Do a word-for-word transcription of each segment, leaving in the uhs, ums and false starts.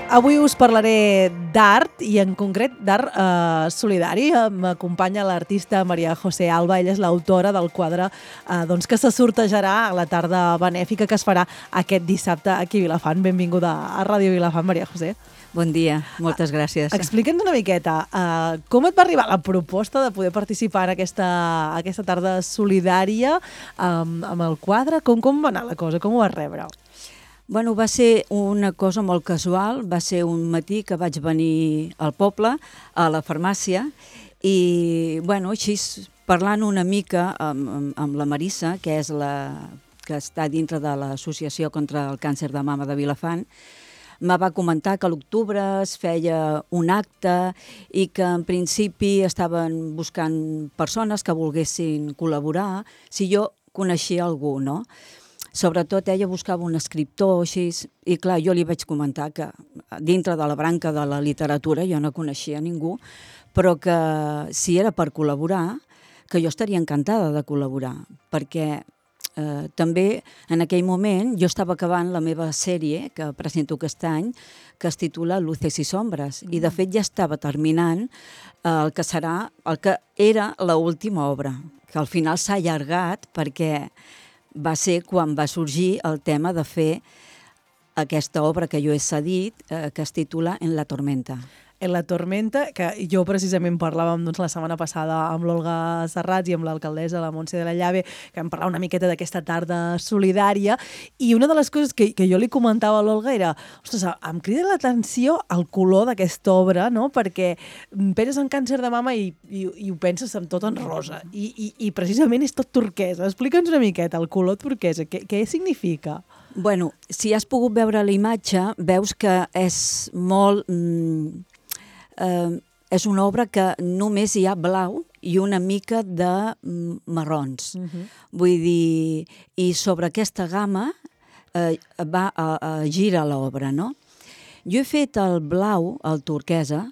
Avui us parlaré d'art i en concret d'art eh, solidari. M'acompanya l'artista Maria José Alba. Ella és l'autora del quadre eh, doncs, que se sortejarà a la tarda benèfica que es farà aquest dissabte aquí a Vilafant. Benvinguda a Ràdio Vilafant, Maria José. Bon dia, moltes gràcies. Explica'ns una miqueta, uh, com et va arribar la proposta de poder participar en aquesta, aquesta tarda solidària um, amb el quadre? Com, com va anar la cosa? Com ho vas rebre? Bueno, va ser una cosa molt casual. Va ser un matí que vaig venir al poble, a la farmàcia, i bueno, així parlant una mica amb, amb, amb la Marissa, que és la que està dintre de l'Associació contra el Càncer de Mama de Vilafant, me va comentar que a l'octubre es feia un acte i que en principi estaven buscant persones que volguessin col·laborar, si jo coneixia algú, no? Sobretot ella buscava un escriptor així, i clar, jo li vaig comentar que dintre de la branca de la literatura jo no coneixia ningú, però que si era per col·laborar, que jo estaria encantada de col·laborar, perquè Eh, també en aquell moment jo estava acabant la meva sèrie que presento aquest any, que es titula Luces i Sombres, mm. i de fet ja estava terminant eh, el que serà, el que era l'última obra, que al final s'ha allargat perquè va ser quan va sorgir el tema de fer aquesta obra que jo he cedit, eh, que es titula En la tormenta. En la tormenta, que jo precisament parlàvem doncs, la setmana passada amb l'Olga Serrats i amb l'alcaldessa, la Montse de la Llave, que vam parlar una miqueta d'aquesta tarda solidària, i una de les coses que, que jo li comentava a l'Olga era, ostres, em crida l'atenció el color d'aquesta obra, no? Perquè penses en càncer de mama i, i, i ho penses amb tot en rosa, i, i, i precisament és tot turquesa. Explica'ns una miqueta el color turquesa, què, què significa? Bueno, si has pogut veure la imatge, veus que és molt... Mm, Uh, és una obra que només hi ha blau i una mica de mm, marrons. Uh-huh. Vull dir, i sobre aquesta gamma uh, va a, a gira l'obra, no? Jo he fet el blau, el turquesa,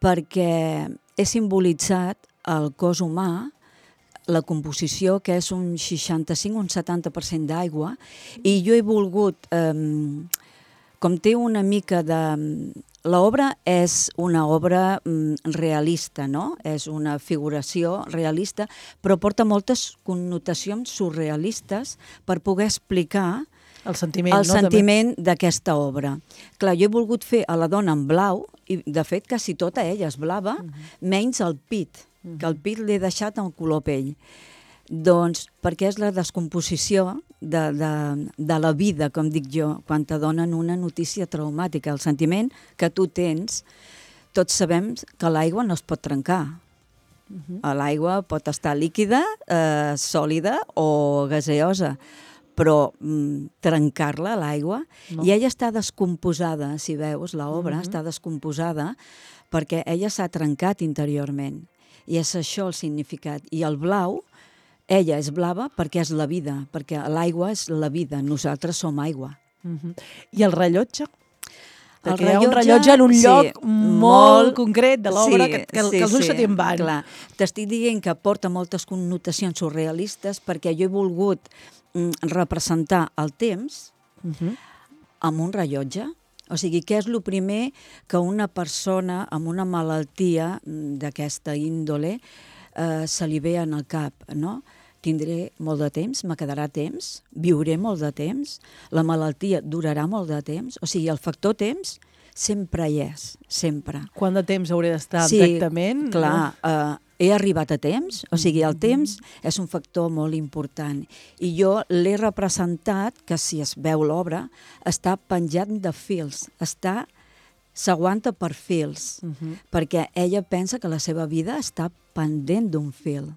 perquè he simbolitzat el cos humà, la composició, que és un seixanta-cinc o un setanta per cent d'aigua, i jo he volgut, um, com té una mica de... L'obra és una obra mm, realista, no? És una figuració realista, però porta moltes connotacions surrealistes per poder explicar el sentiment, el no, sentiment d'aquesta obra. Clar, jo he volgut fer a la dona en blau, i de fet quasi tota ella és blava, uh -huh. menys el pit, uh -huh. que el pit l'he deixat en color pell. Doncs perquè és la descomposició de, de, de la vida, com dic jo, quan te donen una notícia traumàtica. El sentiment que tu tens, tots sabem que l'aigua no es pot trencar. Uh-huh. L'aigua pot estar líquida, eh, sòlida o gaseosa, però mm, trencar-la, l'aigua, no. I ella està descomposada, si veus, l'obra uh-huh. està descomposada perquè ella s'ha trencat interiorment. I és això el significat. I el blau, ella és blava perquè és la vida, perquè l'aigua és la vida, nosaltres som aigua. Uh-huh. I el rellotge? El rellotge, hi ha un rellotge en un sí, lloc molt, molt concret de l'obra, sí, que, que, sí, que els ulls sí, se te'n van. Clar. T'estic dient que porta moltes connotacions surrealistes perquè jo he volgut mm, representar el temps uh-huh. amb un rellotge. O sigui, què és el primer que una persona amb una malaltia d'aquesta índole eh, se li ve en el cap, no? Tindré molt de temps, me quedarà temps, viuré molt de temps, la malaltia durarà molt de temps, o sigui, el factor temps sempre hi és, sempre. Quant de temps hauré d'estar sí, en tractament? Clar, no? eh, he arribat a temps, o sigui, el temps és un factor molt important. I jo l'he representat, que si es veu l'obra, està penjat de fils, està... s'aguanta per fils, uh-huh. perquè ella pensa que la seva vida està pendent d'un fil.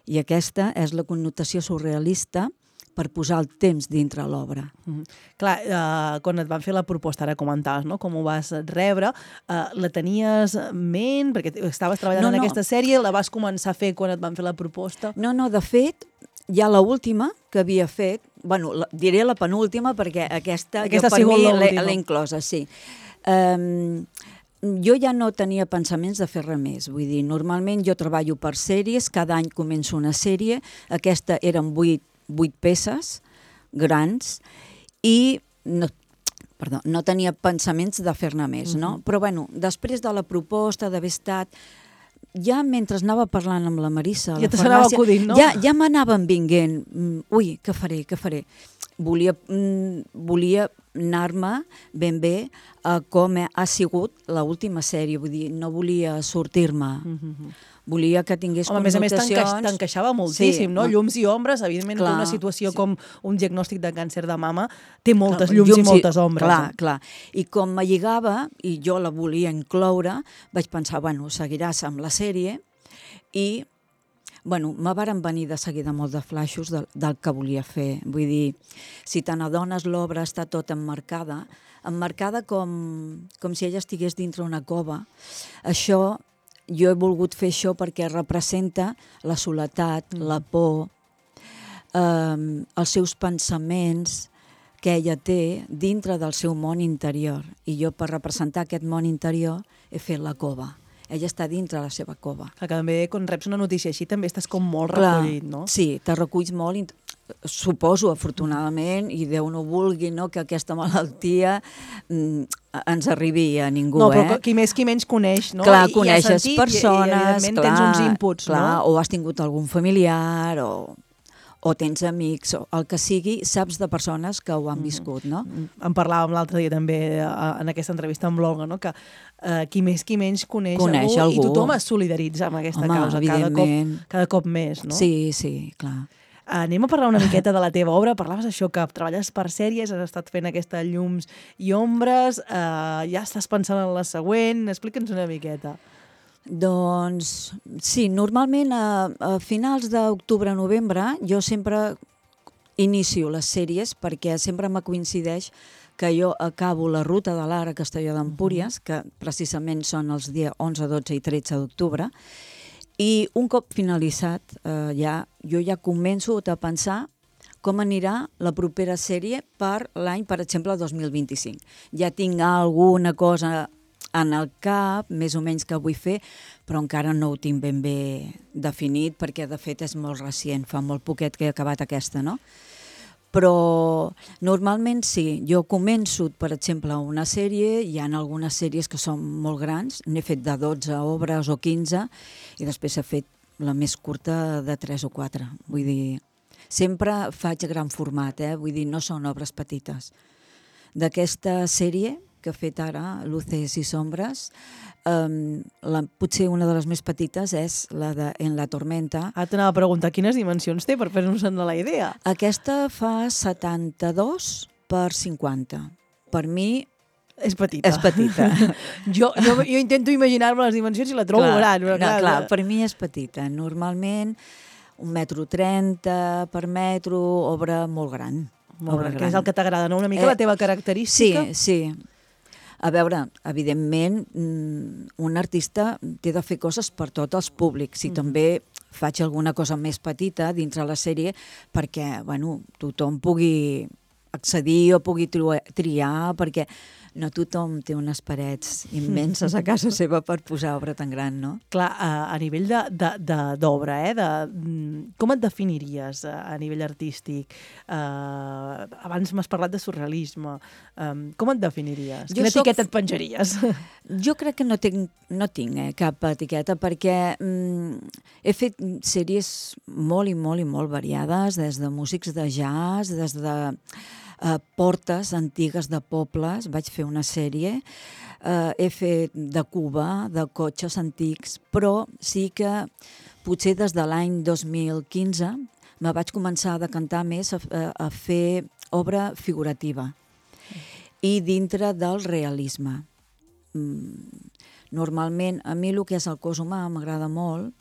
I aquesta és la connotació surrealista per posar el temps dintre l'obra. Uh-huh. Clar, uh, quan et van fer la proposta, ara comentaves, no?, com ho vas rebre, uh, la tenies en ment, perquè estaves treballant no, en no. aquesta sèrie, la vas començar a fer quan et van fer la proposta? No, no, de fet, ja l'última que havia fet, bueno, la, diré la penúltima, perquè aquesta, aquesta jo per mi l'he inclosa, sí. Um, jo ja no tenia pensaments de fer res més, vull dir, normalment jo treballo per sèries, cada any començo una sèrie, aquesta eren vuit, vuit peces grans, i no, perdó, no tenia pensaments de fer-ne més, no? Mhm. Però, bueno, després de la proposta d'haver estat... Ja mentre anava parlant amb la Marissa... a Ja la te s'anava farmàcia, acudint, no? Ja, ja m'anaven vinguent. mm, Ui, què faré, què faré? Volia, mm, volia anar-me ben bé a com ha sigut l'última sèrie. Vull dir, no volia sortir-me. Mhm. Volia que tingués Home, a més a més, t'encaix- connotacions... t'encaixava moltíssim, Sí, no? no. Llums i ombres, evidentment, que Clar, una situació sí. com un diagnòstic de càncer de mama té moltes Clar, llums, i moltes ombres. Clar, eh? clar. I com me lligava, i jo la volia incloure, vaig pensar, bueno, seguiràs amb la sèrie, i, bueno, me varen venir de seguida molt de flaixos del, del que volia fer. Vull dir, si te n'adones, l'obra està tota emmarcada, emmarcada com, com si ella estigués dintre una cova. Això, jo he volgut fer això perquè representa la soledat, mm. la por, eh, els seus pensaments que ella té dintre del seu món interior. I jo, per representar aquest món interior, he fet la cova. Ella està dintre la seva cova. Que també, quan reps una notícia així, també estàs com molt recollit, no? Sí, te reculls molt, suposo, afortunadament, i Déu no vulgui, no, que aquesta malaltia mm, ens arribi a ningú, no, però eh? qui més qui menys coneix, no? Clar, I, coneixes i has sentit, persones, i, i evidentment clar, tens uns inputs, clar, no? o has tingut algun familiar, o, o tens amics, o el que sigui, saps de persones que ho han viscut, no? En parlàvem l'altre dia també eh, en aquesta entrevista amb l'Olga, no? Que eh, qui més qui menys coneix, Coneix algú, i algú. tothom es solidaritza amb aquesta Home, causa, cada cop, evidentment. cada cop més, no? Sí, sí, clar. Anem a parlar una miqueta de la teva obra. Parlaves això, que treballes per sèries, has estat fent aquesta llums i ombres, eh, ja estàs pensant en la següent. Explica'ns una miqueta. Doncs sí, normalment a, a finals d'octubre-novembre jo sempre inicio les sèries perquè sempre me coincideix que jo acabo la ruta de l'Ara a Castelló d'Empúries, que precisament són els dies onze, dotze i tretze d'octubre, i un cop finalitzat, eh, ja, jo ja començo a pensar com anirà la propera sèrie per l'any, per exemple, dos mil vint-i-cinc. Ja tinc alguna cosa en el cap, més o menys, que vull fer, però encara no ho tinc ben bé definit, perquè de fet és molt recient, fa molt poquet que he acabat aquesta, no? Però normalment sí, jo començo, per exemple, una sèrie, hi ha algunes sèries que són molt grans, n'he fet de dotze obres o quinze, i després he fet la més curta de tres o quatre. Vull dir, sempre faig gran format, eh? Vull dir, no són obres petites. D'aquesta sèrie que he fet ara, Luces i Sombres, um, la, potser una de les més petites és la de En la tormenta. Ara t'anava a preguntar quines dimensions té per fer-nos-en la idea. Aquesta fa setanta-dos per cinquanta. Per mi És petita. és petita. jo, jo, jo intento imaginar-me les dimensions i la trobo clar, gran. Però, no, clar, clar, per mi és petita. Normalment un metro trenta per metro, obra molt gran. Molt obra gran, que és el que t'agrada, no? Una mica Eh, la teva característica. Sí, sí. A veure, evidentment, un artista té de fer coses per tots els públics i mm. també faig alguna cosa més petita dintre la sèrie perquè, bueno, tothom pugui accedir o pugui triar, perquè no tothom té unes parets immenses a casa seva per posar obra tan gran, no? Clar, a, a nivell d'obra, eh? De, com et definiries a, a nivell artístic? Uh, abans m'has parlat de surrealisme. Um, com et definiries? Jo Quina soc... etiqueta et penjaries? Jo crec que no tinc, no tinc eh, cap etiqueta perquè mm, he fet sèries molt i molt i molt variades, des de músics de jazz, des de Uh, portes antigues de pobles, vaig fer una sèrie, uh, he fet de Cuba, de cotxes antics, però sí que potser des de l'any dos mil quinze me vaig començar a decantar més a, a, a fer obra figurativa i dintre del realisme. Mm, normalment, a mi el que és el cos humà m'agrada molt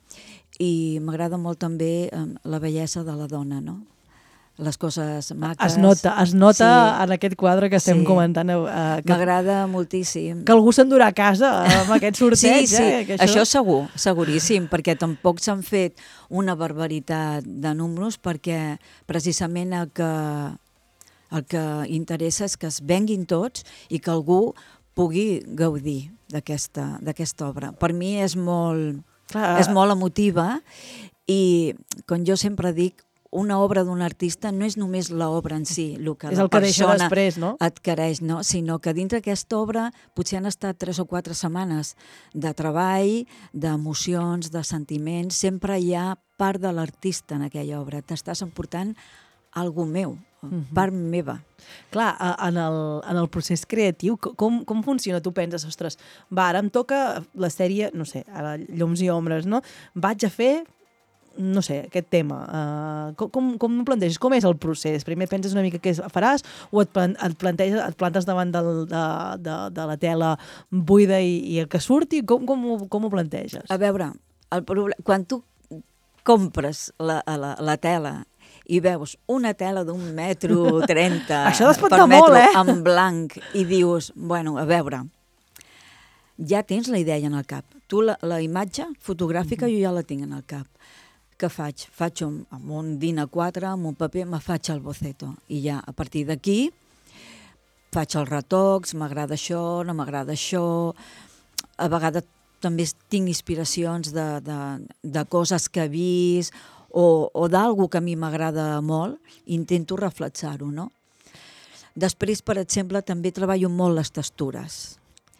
i m'agrada molt també um, la bellesa de la dona, no? Les coses maques. Es nota, es nota sí. en aquest quadre que estem sí. comentant. Eh, que, M'agrada moltíssim. Que algú s'endurà a casa amb aquest sorteig. Sí, sí, eh? Que això... això segur, seguríssim, perquè tampoc s'han fet una barbaritat de números perquè precisament el que, el que interessa és que es venguin tots i que algú pugui gaudir d'aquesta d'aquesta obra. Per mi és molt, Clar. és molt emotiva i, com jo sempre dic, una obra d'un artista no és només l'obra en si, el que és la el que deixa persona després, no? adquireix, no? Sinó que dintre aquesta obra potser han estat tres o quatre setmanes de treball, d'emocions, de sentiments, sempre hi ha part de l'artista en aquella obra. T'estàs emportant algú meu, uh-huh. part meva. Clar, en el, en el procés creatiu, com, com funciona? Tu penses, ostres, va, ara em toca la sèrie, no sé, ara Llums i Ombres, no? Vaig a fer, no sé, aquest tema. Uh, com, com, com ho planteges? Com és el procés? Primer penses una mica què faràs o et, plan, et, planteges, et plantes davant del, de, de, de la tela buida i, i el que surti? Com, com, ho, com ho planteges? A veure, el problem, quan tu compres la, la, la tela i veus una tela d'un metro trenta Això per de metro molt, eh? en blanc i dius, bueno, a veure, ja tens la idea en el cap. Tu la, la imatge fotogràfica jo ja la tinc en el cap. Què faig? Faig un, amb un DIN A quatre, amb un paper, me faig el boceto. I ja, a partir d'aquí, faig els retocs, m'agrada això, no m'agrada això. A vegades també tinc inspiracions de, de, de coses que he vist o, o d'algú que a mi m'agrada molt, intento reflexar-ho, no? Després, per exemple, també treballo molt les textures.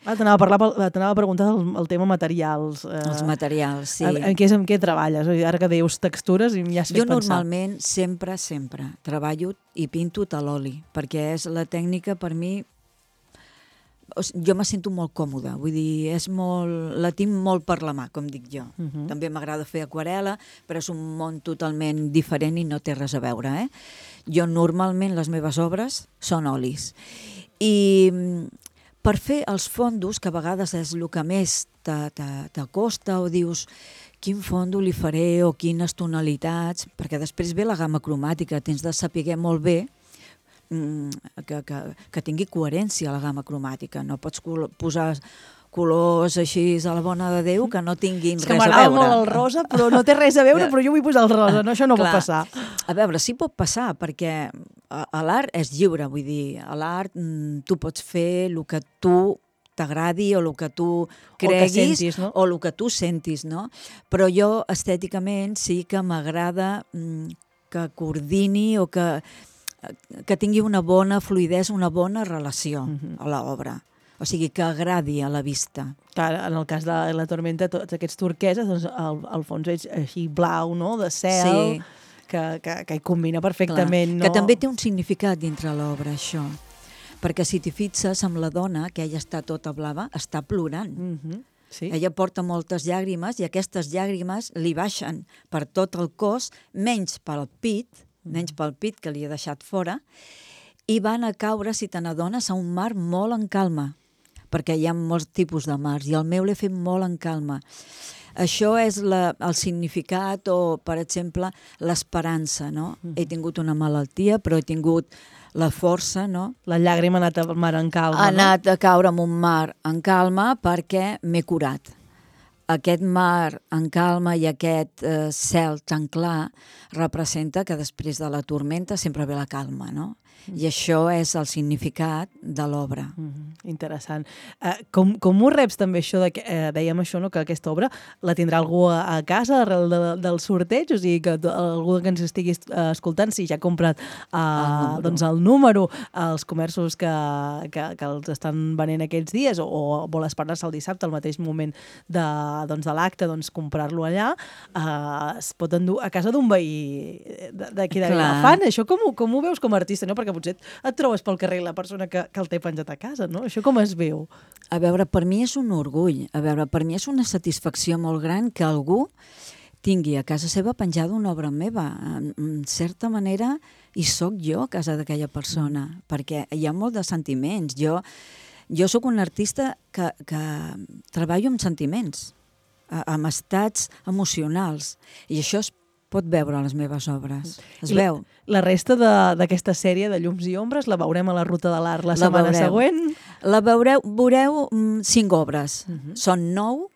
Ah, t'anava a, parlar, t'anava a preguntar el, el tema materials. Eh, Els materials, sí. En, en, què és, en què treballes? Ara que dius textures i ja has fet jo pensar. Normalment, sempre, sempre, treballo i pinto a l'oli, perquè és la tècnica per mi... O sigui, jo me sento molt còmoda, vull dir, és molt, la tinc molt per la mà, com dic jo. Uh -huh. També m'agrada fer aquarela, però és un món totalment diferent i no té res a veure, eh? Jo normalment les meves obres són olis. I per fer els fondos, que a vegades és el que més t'acosta o dius quin fondo li faré o quines tonalitats, perquè després ve la gamma cromàtica, tens de saber molt bé que, que, que tingui coherència la gamma cromàtica. No pots col posar colors així a la bona de Déu que no tinguin res a veure. És que m'agrada molt el rosa, però no té res a veure, però jo vull posar el rosa, no? Això no Clar. pot passar. A veure, sí pot passar, perquè l'art és lliure, vull dir, a l'art tu pots fer el que tu t'agradi o el que tu creguis o, que sentis, no? o el que tu sentis, no? Però jo estèticament sí que m'agrada que coordini o que que tingui una bona fluïdesa, una bona relació uh-huh. a l'obra. O sigui, que agradi a la vista. Clar, en el cas de La Tormenta, tots aquests turqueses, doncs, al, al fons és així blau, no?, de cel, sí. que, que, que hi combina perfectament. Clar, no? Que també té un significat dintre l'obra, això. Perquè si t'hi fixes amb la dona, que ella està tota blava, està plorant. Uh-huh. Sí. Ella porta moltes llàgrimes i aquestes llàgrimes li baixen per tot el cos, menys pel pit, menys pel pit que li he deixat fora, i van a caure, si te n'adones, a un mar molt en calma, perquè hi ha molts tipus de mars, i el meu l'he fet molt en calma. Això és la, el significat o, per exemple, l'esperança, no? Mm. He tingut una malaltia, però he tingut la força, no? La llàgrima ha anat al mar en calma, ha no? Ha anat a caure en un mar en calma perquè m'he curat. Aquest mar en calma i aquest eh, cel tan clar representa que després de la tormenta sempre ve la calma, no? I això és el significat de l'obra. Mm-hmm. Interessant. Uh, com, com ho reps també això, de que, uh, dèiem això, no? Que aquesta obra la tindrà algú a, a casa arrel de, del sorteig? O sigui, que algú que ens estigui uh, escoltant, si ja ha comprat uh, el, doncs el número als comerços que, que, que els estan venent aquests dies, o, o vol esperar-se el dissabte, al mateix moment de, doncs, de l'acte, doncs, comprar-lo allà, uh, es pot endur a casa d'un veí d'aquí de Vilafant. Això com, com ho veus com a artista, no? Perquè potser et trobes pel carrer la persona que, que el té penjat a casa, no? Això com es veu? A veure, per mi és un orgull. A veure, per mi és una satisfacció molt gran que algú tingui a casa seva penjada una obra meva. En certa manera, hi soc jo a casa d'aquella persona, mm. perquè hi ha molt de sentiments. Jo, jo sóc un artista que, que treballo amb sentiments, amb estats emocionals, i això es pot veure a les meves obres. Es I veu. La resta d'aquesta sèrie de Llums i Ombres la veurem a la Ruta de l'Art la, la setmana veureu. següent? La veureu, veureu mm, cinc obres. Uh-huh. Són nou.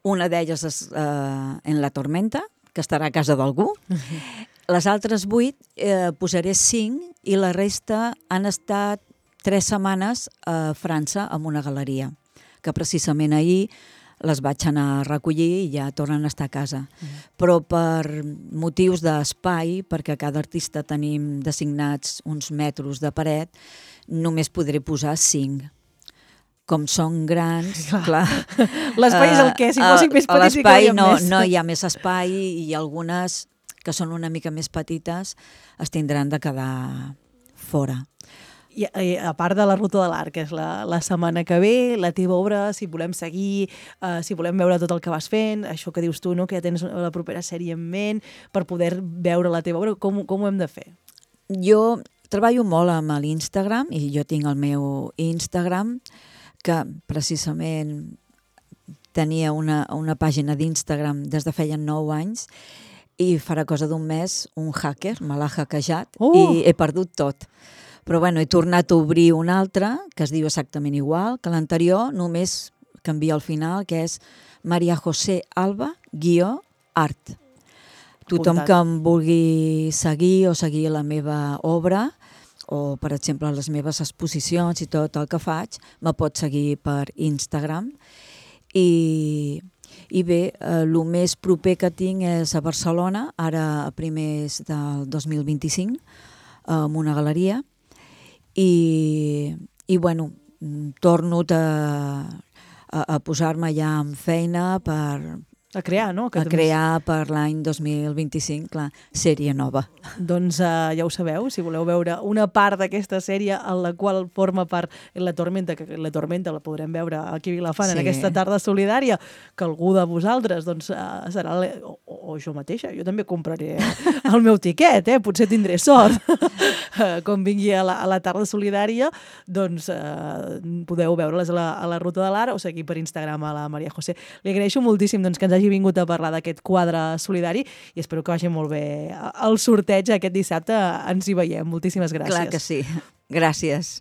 Una d'elles és uh, En la Tormenta, que estarà a casa d'algú. Uh-huh. Les altres vuit eh, posaré cinc i la resta han estat tres setmanes a França amb una galeria, que precisament ahir les vaig anar a recollir i ja tornen a estar a casa. Mm. Però per motius d'espai, perquè cada artista tenim designats uns metres de paret, només podré posar cinc. Com són grans, clar... L'espai és el què? Si fossin més petits hi cabríem no, més. no hi ha més espai i algunes que són una mica més petites es tindran de quedar fora. I, i a part de la Ruta de l'Art, que és la, la setmana que ve, la teva obra, si volem seguir, uh, si volem veure tot el que vas fent, això que dius tu, no? Que ja tens la propera sèrie en ment, per poder veure la teva obra, com, com ho hem de fer? Jo treballo molt amb l'Instagram, i jo tinc el meu Instagram, que precisament tenia una, una pàgina d'Instagram des de feia nou anys, i farà cosa d'un mes un hacker me l'ha hackejat uh! i he perdut tot. Però bueno, he tornat a obrir un altre, que es diu exactament igual que l'anterior, només canvia al final, que és Maria José Alba guió art. Tothom que em vulgui seguir o seguir la meva obra, o per exemple les meves exposicions i tot el que faig, me pot seguir per Instagram. I, i bé, el eh, més proper que tinc és a Barcelona, ara a primers del dos mil vint-i-cinc, en una galeria. I, i bueno, torno a, a, a posar-me ja en feina per... A crear, no? Que a crear per l'any dos mil vint-i-cinc, clar, sèrie nova. Doncs uh, ja ho sabeu, si voleu veure una part d'aquesta sèrie en la qual forma part La Tormenta, que La Tormenta la podrem veure aquí a Vilafant sí. en aquesta tarda solidària, que algú de vosaltres doncs, uh, serà... Le... O, o jo mateixa, jo també compraré el meu tiquet, eh? Potser tindré sort. Uh, com vingui a la, a la tarda solidària, doncs uh, podeu veure-les a la, a la Ruta de l'Art o seguir per Instagram a la Maria José. Li agraeixo moltíssim doncs, que ens hagi vingut a parlar d'aquest quadre solidari i espero que vagi molt bé el sorteig aquest dissabte. Ens hi veiem. Moltíssimes gràcies. Clar que sí. Gràcies.